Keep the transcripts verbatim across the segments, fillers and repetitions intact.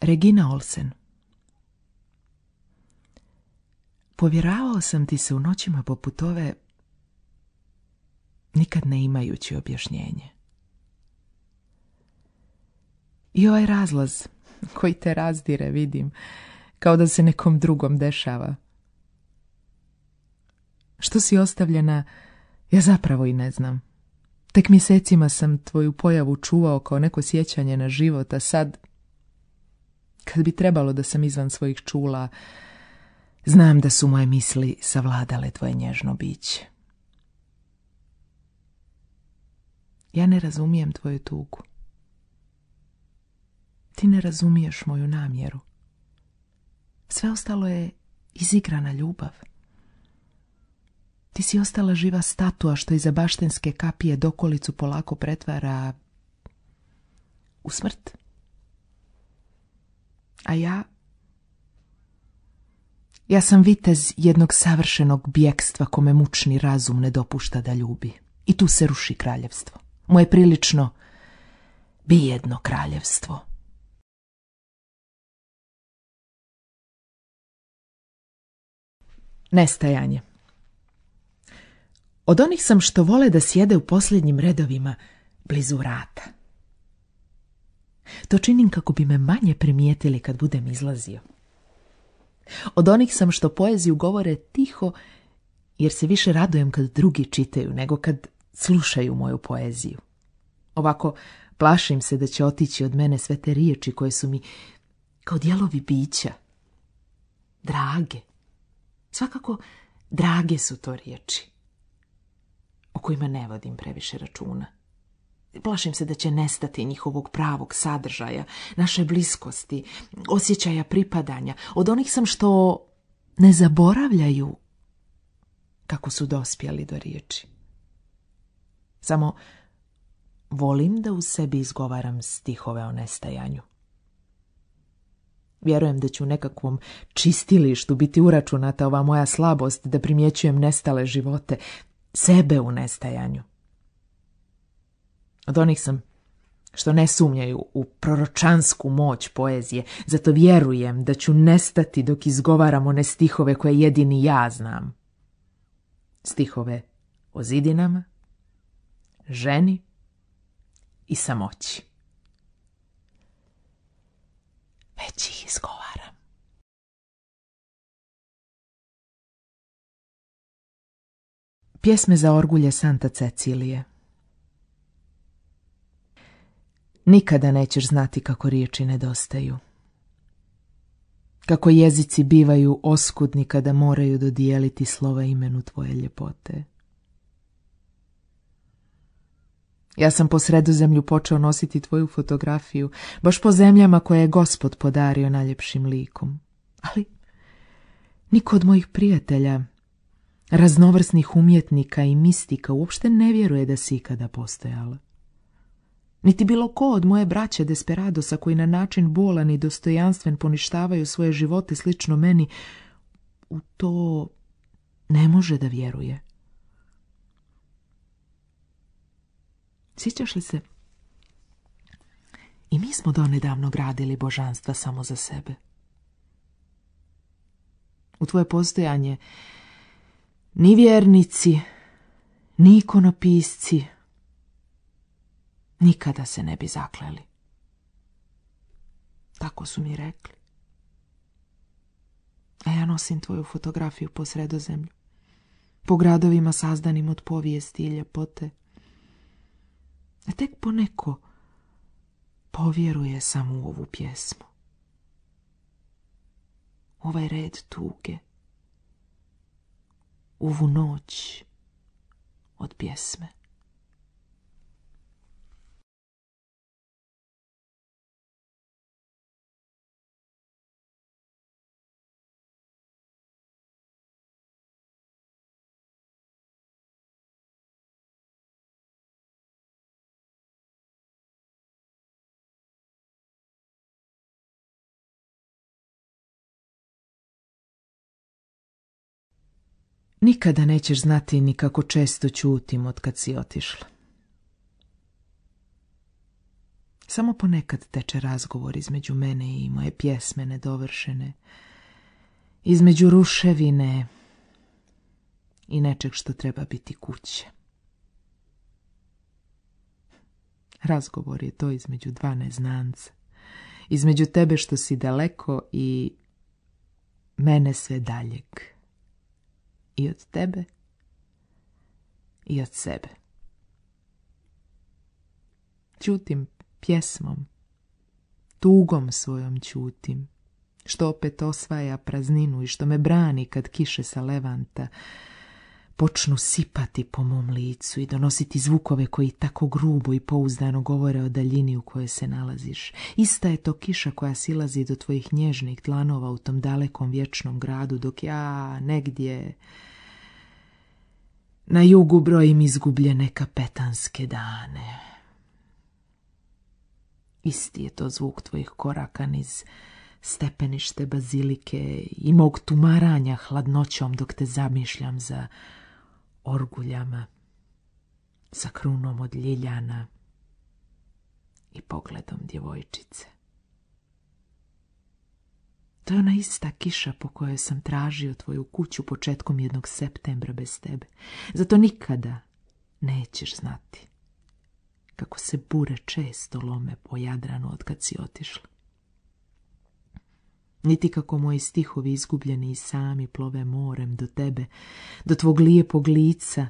Regina Olsen. Povjeravao sam ti se u noćima poput ove, nikad ne imajući objašnjenje. I ovaj razlaz koji te razdire vidim, kao da se nekom drugom dešava. Što si ostavljena, ja zapravo i ne znam. Tek mjesecima sam tvoju pojavu čuvao kao neko sjećanje na život, a sad, kad bi trebalo da sam izvan svojih čula, znam da su moje misli savladale tvoje nježno biće. Ja ne razumijem tvoju tugu. Ti ne razumiješ moju namjeru. Sve ostalo je izigrana ljubav. Ti si ostala živa statua što iza baštenske kapije dokolicu polako pretvara u smrt. A ja... Ja sam vitez jednog savršenog bjekstva kome mučni razum ne dopušta da ljubi. I tu se ruši kraljevstvo. Moje prilično bijedno kraljevstvo. Nestajanje. Od onih sam što vole da sjede u posljednjim redovima blizu vrata. To činim kako bi me manje primijetili kad budem izlazio. Od onih sam što poeziju govore tiho, jer se više radujem kad drugi čitaju nego kad slušaju moju poeziju. Ovako plašim se da će otići od mene sve te riječi koje su mi kao dijelovi bića. Drage. Svakako drage su to riječi, o kojima ne vodim previše računa. Plašim se da će nestati njihovog pravog sadržaja, naše bliskosti, osjećaja pripadanja. Od onih sam što ne zaboravljaju kako su dospjeli do riječi. Samo volim da u sebi izgovaram stihove o nestajanju. Vjerujem da ću u nekakvom čistilištu biti uračunata ova moja slabost da primjećujem nestale živote, sebe u nestajanju. Od onih sam što ne sumnjaju u proročansku moć poezije, zato vjerujem da ću nestati dok izgovaram one stihove koje jedini ja znam. Stihove o zidinama, ženi i samoći. Već ih izgovaram. Pjesme za orgulje Santa Cecilije. Nikada nećeš znati kako riječi nedostaju. Kako jezici bivaju oskudni kada moraju dodijeliti slova imenu tvoje ljepote. Ja sam po Sredozemlju počeo nositi tvoju fotografiju, baš po zemljama koje je Gospod podario najljepšim likom. Ali niko od mojih prijatelja, raznovrsnih umjetnika i mistika uopšte ne vjeruje da si ikada postojala. Niti bilo ko od moje braće Desperadosa koji na način bolan i dostojanstven poništavaju svoje živote slično meni, u to ne može da vjeruje. Sjećaš li se? I mi smo donedavno gradili božanstva samo za sebe. U tvoje postojanje ni vjernici, ni ikonopisci nikada se ne bi zakleli. Tako su mi rekli. A ja nosim tvoju fotografiju po Sredozemlju, po gradovima sazdanim od povijesti i ljepote. A tek poneko povjeruje samo u ovu pjesmu. Ovaj red tuge, ovu noć od pjesme. Nikada nećeš znati ni kako često ćutim od kad si otišla. Samo ponekad teče razgovor između mene i moje pjesme nedovršene, između ruševine i nečeg što treba biti kuće. Razgovor je to između dva neznanca, između tebe što si daleko i mene sve daljeg. I od tebe i od sebe. Ćutim pjesmom, tugom svojom ćutim, što opet osvaja prazninu i što me brani kad kiše sa levanta počnu sipati po mom licu i donositi zvukove koji tako grubo i pouzdano govore o daljini u kojoj se nalaziš. Ista je to kiša koja silazi do tvojih nježnih dlanova u tom dalekom vječnom gradu, dok ja negdje na jugu brojim izgubljene kapetanske dane. Isti je to zvuk tvojih koraka niz stepenište bazilike i mog tumaranja hladnoćom dok te zamišljam za orguljama, sa krunom od ljiljana i pogledom djevojčice. To je ona ista kiša po kojoj sam tražio tvoju kuću početkom jednog septembra bez tebe. Zato nikada nećeš znati kako se bure često lome po Jadranu od kad si otišla. Niti kako moji stihovi izgubljeni i sami plove morem do tebe, do tvog lijepog lica,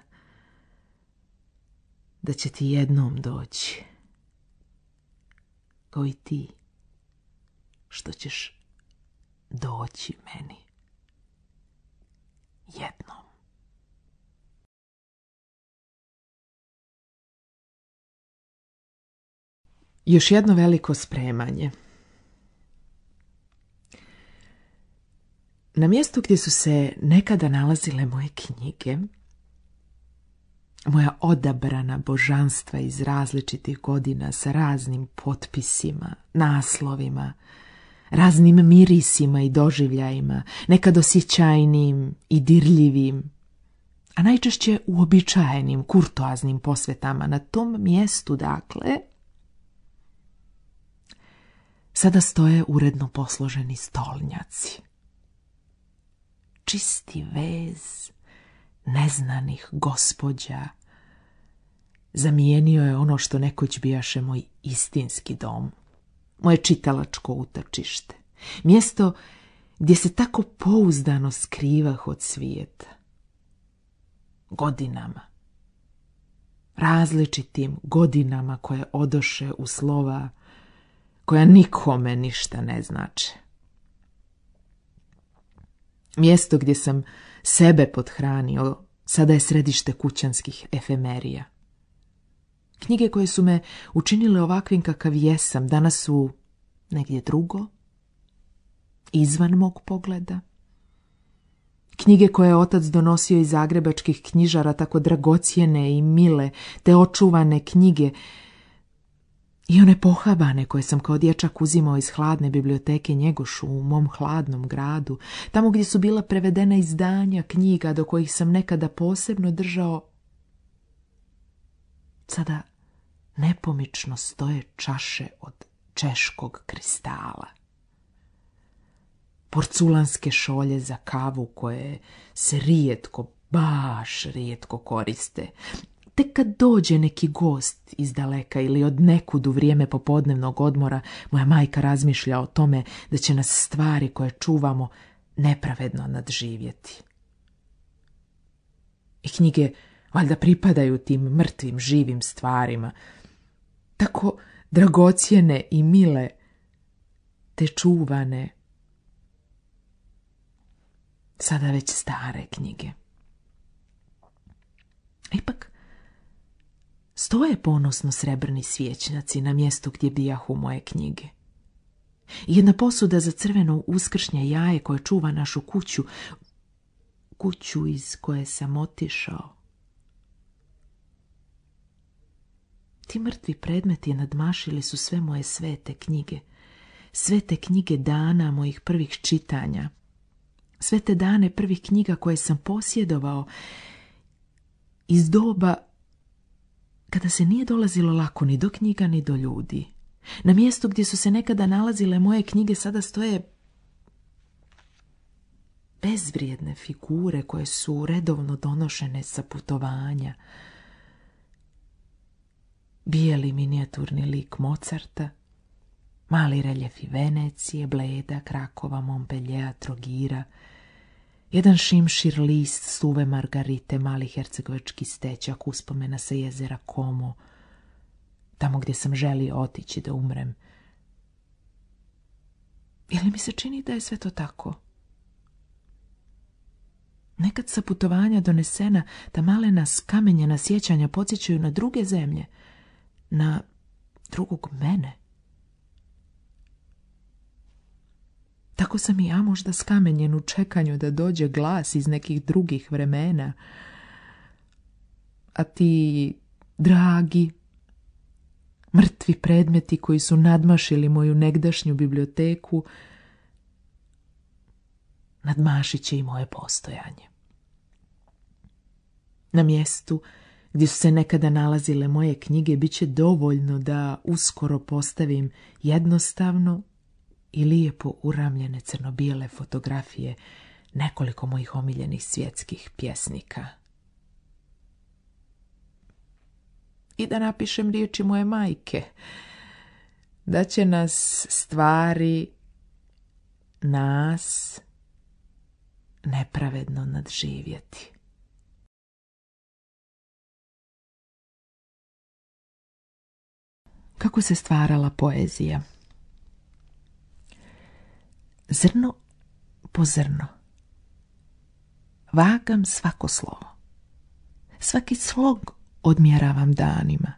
da će ti jednom doći, kao i ti, što ćeš doći meni jednom. Još jedno veliko spremanje. Na mjestu gdje su se nekada nalazile moje knjige, moja odabrana božanstva iz različitih godina sa raznim potpisima, naslovima, raznim mirisima i doživljajima, nekad osjećajnim i dirljivim, a najčešće uobičajenim, kurtoaznim posvetama. Na tom mjestu, dakle, sada stoje uredno posloženi stolnjaci. Čisti vez neznanih gospođa zamijenio je ono što nekoć bijaše moj istinski dom, moje čitalačko utočište, mjesto gdje se tako pouzdano skrivah od svijeta. Godinama, različitim godinama koje odoše u slova koja nikome ništa ne znače. Mjesto gdje sam sebe pothranio sada je središte kućanskih efemerija. Knjige koje su me učinile ovakvim kakav jesam danas su negdje drugo, izvan mog pogleda. Knjige koje je otac donosio iz zagrebačkih knjižara, tako dragocjene i mile, te očuvane knjige, i one pohabane koje sam kao dječak uzimao iz hladne biblioteke Njegošu u mom hladnom gradu, tamo gdje su bila prevedena izdanja knjiga do kojih sam nekada posebno držao, sada nepomično stoje čaše od češkog kristala. Porculanske šolje za kavu koje se rijetko, baš rijetko koriste. Tek kad dođe neki gost iz daleka ili od nekud u vrijeme popodnevnog odmora, moja majka razmišlja o tome da će nas stvari koje čuvamo nepravedno nadživjeti. I knjige valjda pripadaju tim mrtvim živim stvarima, tako dragocjene i mile, te čuvane, sada već stare knjige. Ipak, stoje ponosno srebrni svječnjaci na mjestu gdje bijahu moje knjige. Jedna posuda za crveno uskršnje jaje koje čuva našu kuću, kuću iz koje sam otišao. Ti mrtvi predmeti nadmašili su sve moje svete knjige, svete knjige dana mojih prvih čitanja, sve te dane prvih knjiga koje sam posjedovao iz doba kada se nije dolazilo lako ni do knjiga ni do ljudi, Na mjestu gdje su se nekada nalazile moje knjige sada stoje bezvrijedne figure koje su redovno donošene sa putovanja. Bijeli minijaturni lik Mozarta, mali reljefi Venecije, Bleda, Krakova, Montpelliera, Trogira, jedan šimšir list suve margarite, mali hercegovački stečak, uspomena sa jezera Como, tamo gdje sam želio otići da umrem. Ili mi se čini da je sve to tako? Nekad sa putovanja donesena ta malena skamenjena sjećanja podsjećaju na druge zemlje, na drugog mene. Tako sam i ja možda skamenjen u čekanju da dođe glas iz nekih drugih vremena. A ti, dragi, mrtvi predmeti koji su nadmašili moju negdašnju biblioteku, nadmašit će i moje postojanje. Na mjestu gdje su se nekada nalazile moje knjige bit će dovoljno da uskoro postavim jednostavno i lijepo uramljene crno-bijele fotografije nekoliko mojih omiljenih svjetskih pjesnika. I da napišem riječi moje majke, da će nas stvari, nas, nepravedno nadživjeti. Kako se stvarala poezija? Zrno po zrno. Vagam svako slovo. Svaki slog odmjeravam danima,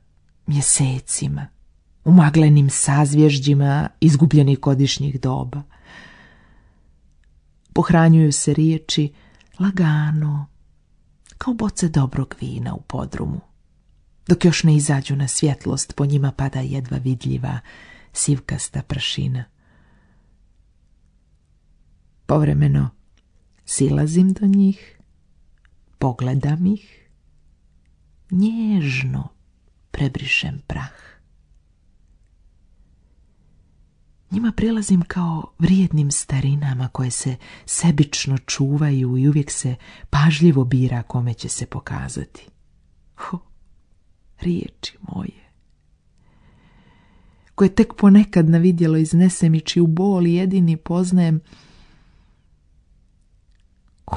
mjesecima, umaglenim sazvježđima izgubljenih godišnjih doba. Pohranjuju se riječi lagano, kao boce dobrog vina u podrumu. Dok još ne izađu na svjetlost, po njima pada jedva vidljiva sivkasta prašina. Povremeno silazim do njih, pogledam ih, nježno prebrišem prah. Njima prilazim kao vrijednim starinama koje se sebično čuvaju i uvijek se pažljivo bira kome će se pokazati. Ho, riječi moje, koje tek ponekad na vidjelo iznesem i čiju bol jedini poznajem,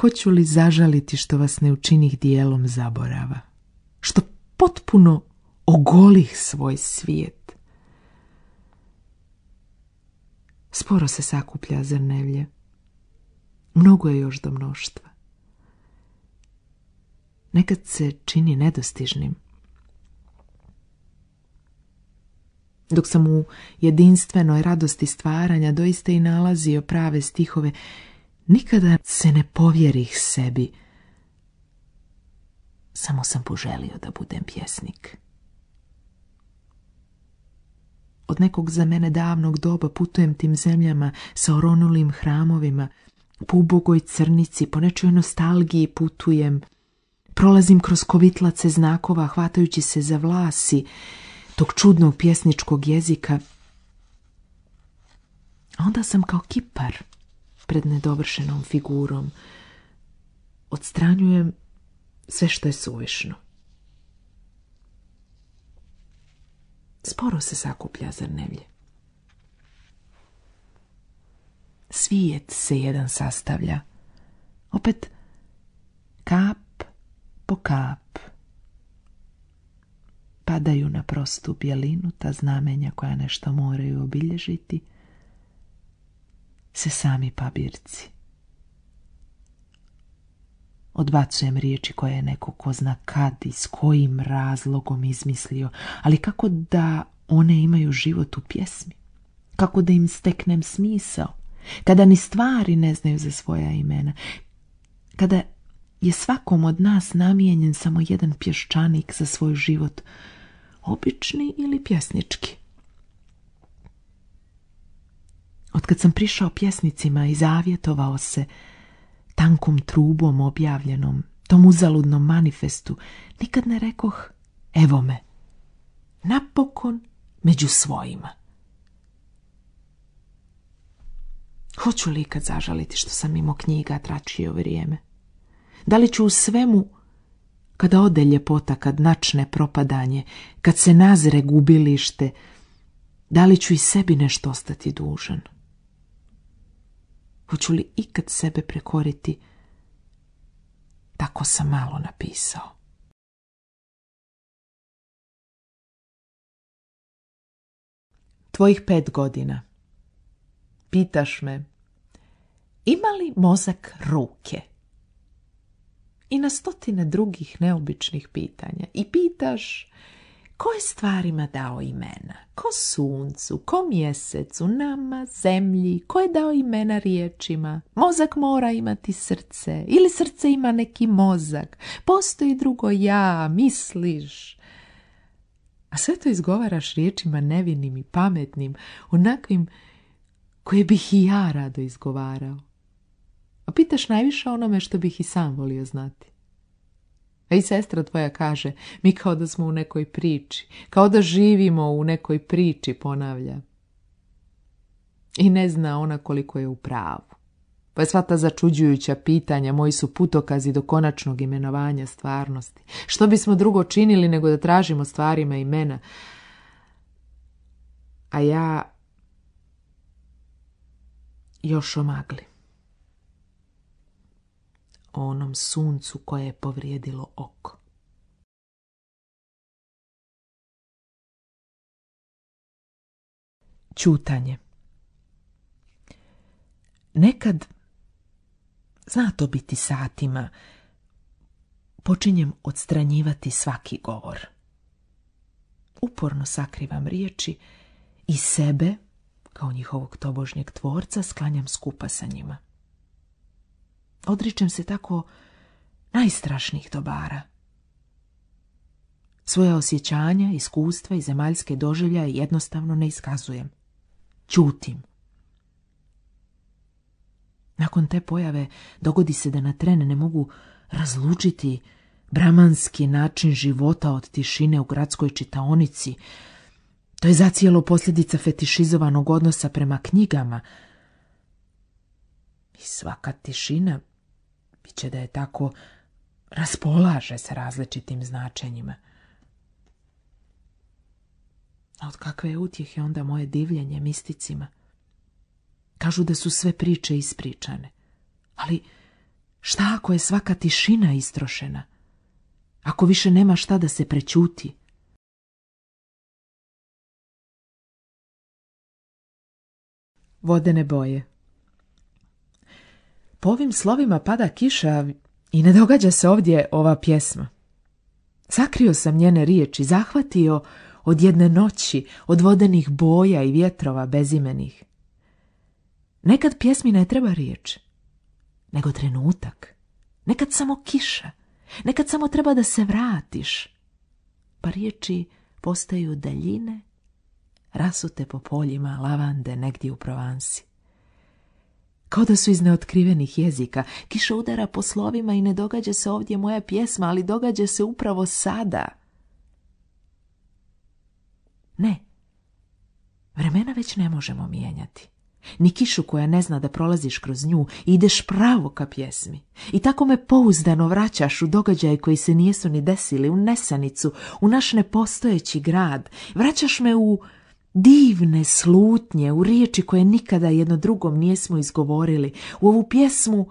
hoću li zažaliti što vas ne učinih dijelom zaborava, što potpuno ogolih svoj svijet. Sporo se sakuplja zrnevlje, mnogo je još do mnoštva. Nekad se čini nedostižnim. Dok sam u jedinstvenoj radosti stvaranja doista i nalazio prave stihove, nikada se ne povjerih sebi. Samo sam poželio da budem pjesnik. Od nekog za mene davnog doba putujem tim zemljama sa oronulim hramovima, po ubogoj crnici, po nečoj nostalgiji putujem, prolazim kroz kovitlace znakova hvatajući se za vlasi tog čudnog pjesničkog jezika. A onda sam kao kipar pred nedovršenom figurom. Odstranjujem sve što je suvišno. Sporo se sakuplja zrnevlje. Svijet se jedan sastavlja. Opet kap po kap. Padaju na prostu bjelinu ta znamenja koja nešto moraju obilježiti, se sami papirci. Odbacujem riječi koje je neko ko zna kad i s kojim razlogom izmislio, ali kako da one imaju život u pjesmi? Kako da im steknem smisao? Kada ni stvari ne znaju za svoja imena? Kada je svakom od nas namijenjen samo jedan pješčanik za svoj život, obični ili pjesnički? Otkad sam prišao pjesnicima i zavjetovao se tankom trubom objavljenom, tom uzaludnom manifestu, nikad ne rekoh, evo me, napokon među svojima. Hoću li ikad zažaliti što sam mimo knjiga tračio vrijeme? Da li ću u svemu, kada ode ljepota, kad načne propadanje, kad se nazire gubilište, da li ću i sebi nešto ostati dužan? Hoću li ikad sebe prekoriti? Tako sam malo napisao. Tvojih pet godina. Pitaš me, ima li mozak ruke? I na stotine drugih neobičnih pitanja. I pitaš, ko je stvarima dao imena? Ko suncu, ko mjesecu, nama, zemlji? Ko je dao imena riječima? Mozak mora imati srce. Ili srce ima neki mozak? Postoji drugo ja, misliš? A sve to izgovaraš riječima nevinim i pametnim, onakvim koje bih i ja rado izgovarao. A pitaš najviše onome što bih i sam volio znati. A i sestra tvoja kaže, mi kao da smo u nekoj priči, kao da živimo u nekoj priči, ponavlja. I ne zna ona koliko je u pravu. Pa je sva ta začuđujuća pitanja moji su putokazi do konačnog imenovanja stvarnosti. Što bismo drugo činili nego da tražimo stvarima imena? A ja još o magli. O onom suncu koje je povrijedilo oko. Ćutanje. Nekad, zna to biti satima, počinjem odstranjivati svaki govor. Uporno sakrivam riječi i sebe, kao njihovog tobožnjeg tvorca, sklanjam skupa sa njima. Odričem se tako najstrašnijih dobara. Svoja osjećanja, iskustva i zemaljske doživljaje jednostavno ne iskazujem. Ćutim. Nakon te pojave dogodi se da na tren ne mogu razlučiti bramanski način života od tišine u gradskoj čitaonici. To je zacijelo posljedica fetišizovanog odnosa prema knjigama. I svaka tišina, bit će da je tako, raspolaže sa različitim značenjima. A od kakve je utjehe onda moje divljenje misticima? Kažu da su sve priče ispričane. Ali šta ako je svaka tišina istrošena? Ako više nema šta da se prećuti? Vodene boje. Po ovim slovima pada kiša i ne događa se ovdje ova pjesma. Sakrio sam njene riječi, zahvatio od jedne noći, od vodenih boja i vjetrova bezimenih. Nekad pjesmi ne treba riječ, nego trenutak. Nekad samo kiša, nekad samo treba da se vratiš. Pa riječi postaju daljine, rasute po poljima lavande negdje u Provansi. Kao da su iz neotkrivenih jezika. Kiša udara po slovima i ne događa se ovdje moja pjesma, ali događa se upravo sada. Ne, vremena već ne možemo mijenjati. Ni kišu koja ne zna da prolaziš kroz nju i ideš pravo ka pjesmi. I tako me pouzdano vraćaš u događaje koji se nijesu ni desili, u nesanicu, u naš nepostojeći grad. Vraćaš me u divne slutnje, u riječi koje nikada jedno drugom nijesmo izgovorili, u ovu pjesmu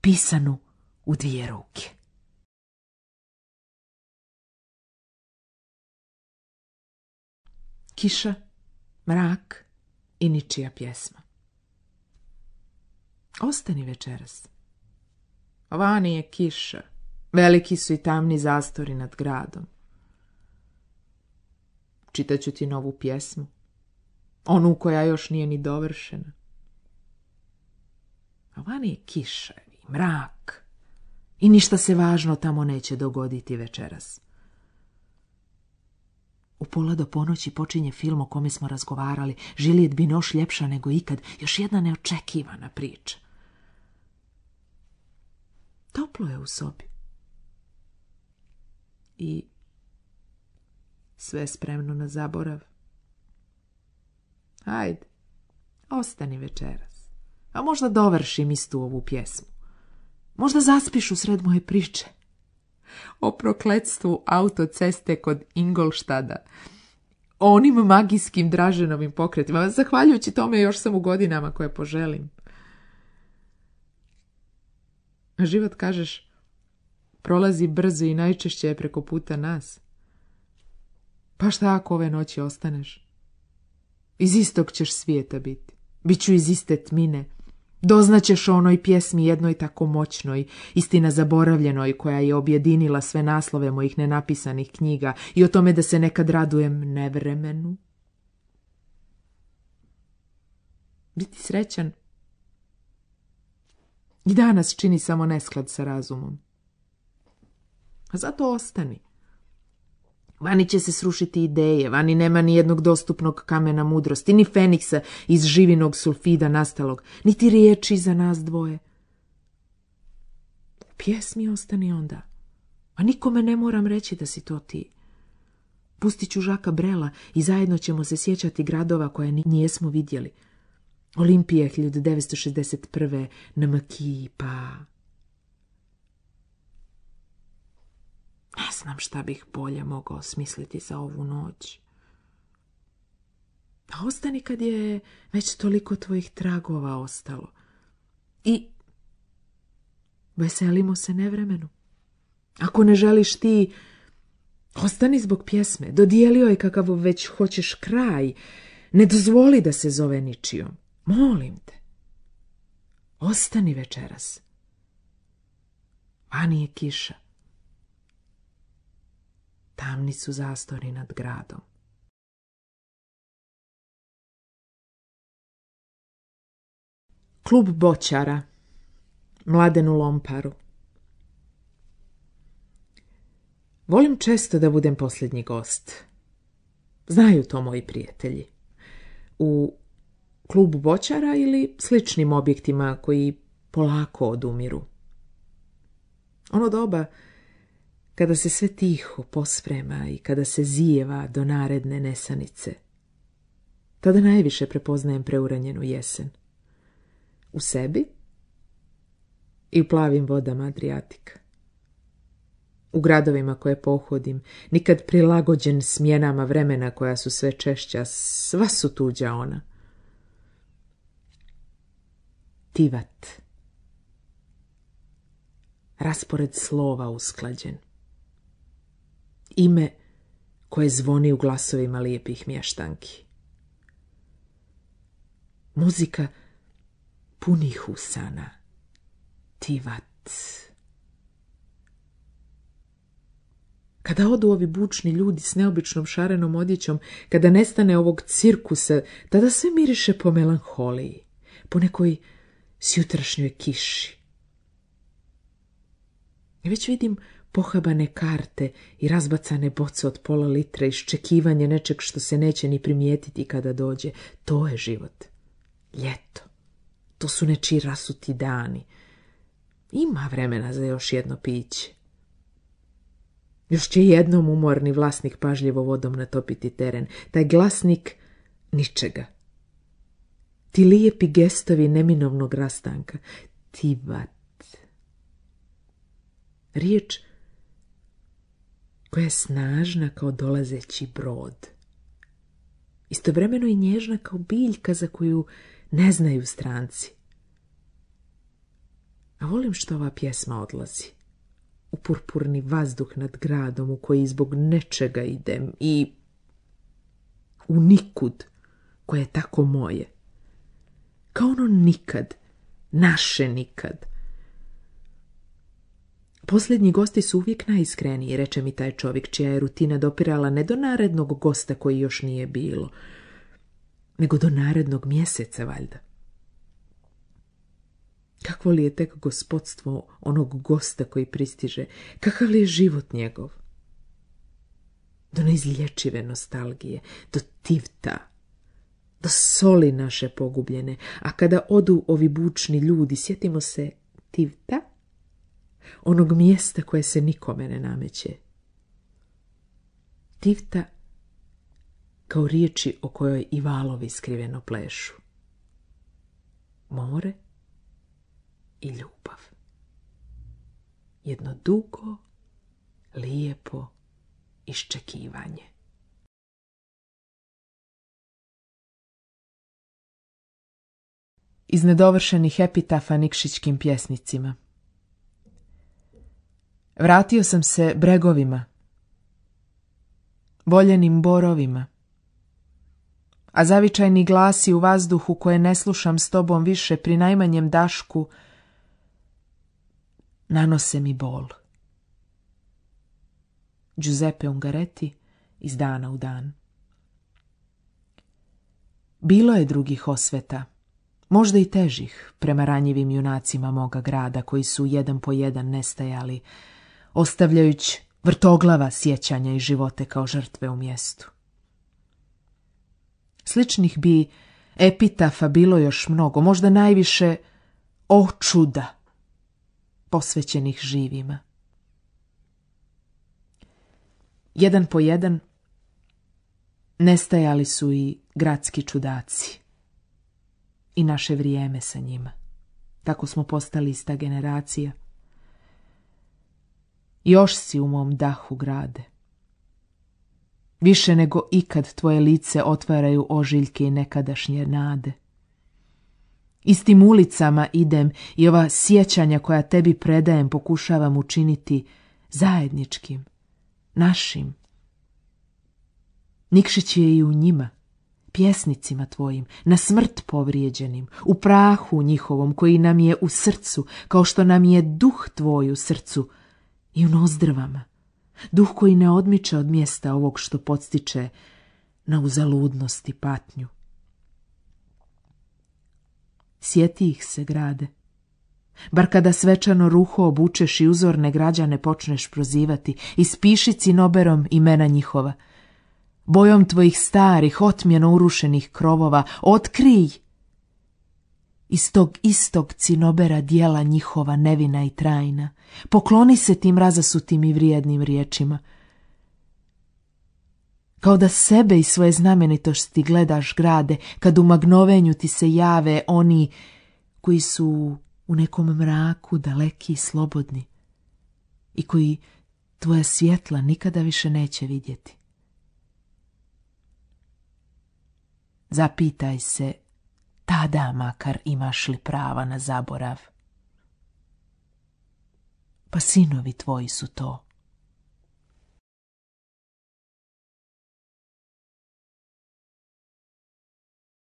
pisanu u dvije ruke. Kiša, mrak i ničija pjesma. Ostani večeras. Vani je kiša, veliki su i tamni zastori nad gradom. Čitaću ti novu pjesmu, onu koja još nije ni dovršena. A vani je kiša i mrak i ništa se važno tamo neće dogoditi večeras. U pola do ponoći počinje film o kome smo razgovarali, Žilijet Binoš ljepša nego ikad, još jedna neočekivana priča. Toplo je u sobi. I sve spremno na zaborav. Hajde, ostani večeras. A možda dovršim istu ovu pjesmu. Možda zaspiš u sred moje priče. O prokletstvu autoceste kod Ingolštada. O onim magijskim Draženovim pokretima. Zahvaljujući tome još sam u godinama koje poželim. Život, kažeš, prolazi brzo i najčešće je preko puta nas. Pa šta ako ove noći ostaneš? Iz istog ćeš svijeta biti. Biću iz iste tmine. Doznaćeš o onoj pjesmi jednoj tako moćnoj, istina zaboravljenoj, koja je objedinila sve naslove mojih nenapisanih knjiga i o tome da se nekad radujem nevremenu. Biti srećan i danas čini samo nesklad sa razumom. A zato ostani. Vani će se srušiti ideje, vani nema ni jednog dostupnog kamena mudrosti, ni feniksa iz živinog sulfida nastalog, niti riječi za nas dvoje. U pjesmi ostani onda, a nikome ne moram reći da si to ti. Pustit ću Žaka Brela i zajedno ćemo se sjećati gradova koje nijesmo vidjeli. Olimpije hiljadu devetsto šezdeset prve, Namaki, pa... Ne znam šta bih bolje mogao smisliti za ovu noć. A ostani kad je već toliko tvojih tragova ostalo. I veselimo se nevremenu. Ako ne želiš ti, ostani zbog pjesme. Dodijelio je kakav već hoćeš kraj. Ne dozvoli da se zove ničijom. Molim te. Ostani večeras. Vani je kiša. Tamni su zastori nad gradom. Klub boćara. Mladenu Lomparu. Volim često da budem posljednji gost. Znaju to moji prijatelji. U klubu boćara ili sličnim objektima koji polako odumiru. Ono doba kada se sve tiho posprema i kada se zijeva do naredne nesanice. Tada najviše prepoznajem preuranjenu jesen. U sebi i u plavim vodama Adrijatika. U gradovima koje pohodim, nikad prilagođen smjenama vremena koja su sve češća, sva su tuđa ona. Tivat. Raspored slova usklađen. Ime koje zvoni u glasovima lijepih mještanki. Muzika punih usana. Tivat. Kada odu ovi bučni ljudi s neobičnom šarenom odjećom, kada nestane ovog cirkusa, tada sve miriše po melanholiji, po nekoj sjutrašnjoj kiši. I već vidim pohabane karte i razbacane boce od pola litra, iščekivanje nečeg što se neće ni primijetiti kada dođe. To je život. Ljeto. To su nečiji rasuti dani. Ima vremena za još jedno piće. Još će jednom umorni vlasnik pažljivo vodom natopiti teren. Taj glasnik ničega. Ti lijepi gestovi neminovnog rastanka. Tivat. Riječ koja je snažna kao dolazeći brod. Istovremeno i nježna kao biljka za koju ne znaju stranci. A volim što ova pjesma odlazi. U purpurni vazduh nad gradom u koji zbog nečega idem i u nikud koje je tako moje. Kao ono nikad, naše nikad. Posljednji gosti su uvijek najiskreniji, reče mi taj čovjek, čija je rutina dopirala ne do narednog gosta koji još nije bilo, nego do narednog mjeseca, valjda. Kakvo li je tek gospodstvo onog gosta koji pristiže, kakav li je život njegov? Do neizlječive nostalgije, do tivta, do soli naše pogubljene, a kada odu ovi bučni ljudi, sjetimo se tivta, onog mjesta koje se nikome ne nameće. Tivta kao riječi o kojoj i valovi skriveno plešu. more i ljubav. Jedno dugo, lijepo iščekivanje. Iz nedovršenih epitafa Nikšićkim pjesnicima. Vratio sam se bregovima, voljenim borovima, a zavičajni glasi u vazduhu koje ne slušam s tobom više pri najmanjem dašku nanose mi bol. Giuseppe Ungaretti, iz dana u dan. Bilo je drugih osveta, možda i težih, prema ranjivim junacima moga grada, koji su jedan po jedan nestajali, ostavljajući vrtoglava sjećanja i živote kao žrtve u mjestu. Sličnih bi epitafa bilo još mnogo, možda najviše o čuda, posvećenih živima. Jedan po jedan nestajali su i gradski čudaci i naše vrijeme sa njima. Tako smo postali ista generacija. Još si u mom dahu, grade. Više nego ikad tvoje lice otvaraju ožiljke i nekadašnje nade. Istim ulicama idem i ova sjećanja koja tebi predajem pokušavam učiniti zajedničkim, našim. Nikšić je i u njima, pjesnicima tvojim, na smrt povrijeđenim, u prahu njihovom koji nam je u srcu, kao što nam je duh tvoj u srcu i u nozdrvama, duh koji ne odmiče od mjesta ovog što podstiče na uzaludnost i patnju. Sjeti ih se, grade, bar kada svečano ruho obučeš i uzorne građane počneš prozivati, ispiši cinoberom imena njihova, bojom tvojih starih, otmjeno urušenih krovova, otkrij iz tog istog cinobera dijela njihova nevina i trajna, pokloni se tim razasutim i vrijednim riječima. Kao da sebe i svoje znamenitosti gledaš, grade, kad u magnovenju ti se jave oni koji su u nekom mraku daleki i slobodni i koji tvoja svjetla nikada više neće vidjeti. Zapitaj se tada makar imaš li prava na zaborav. Pa sinovi tvoji su to.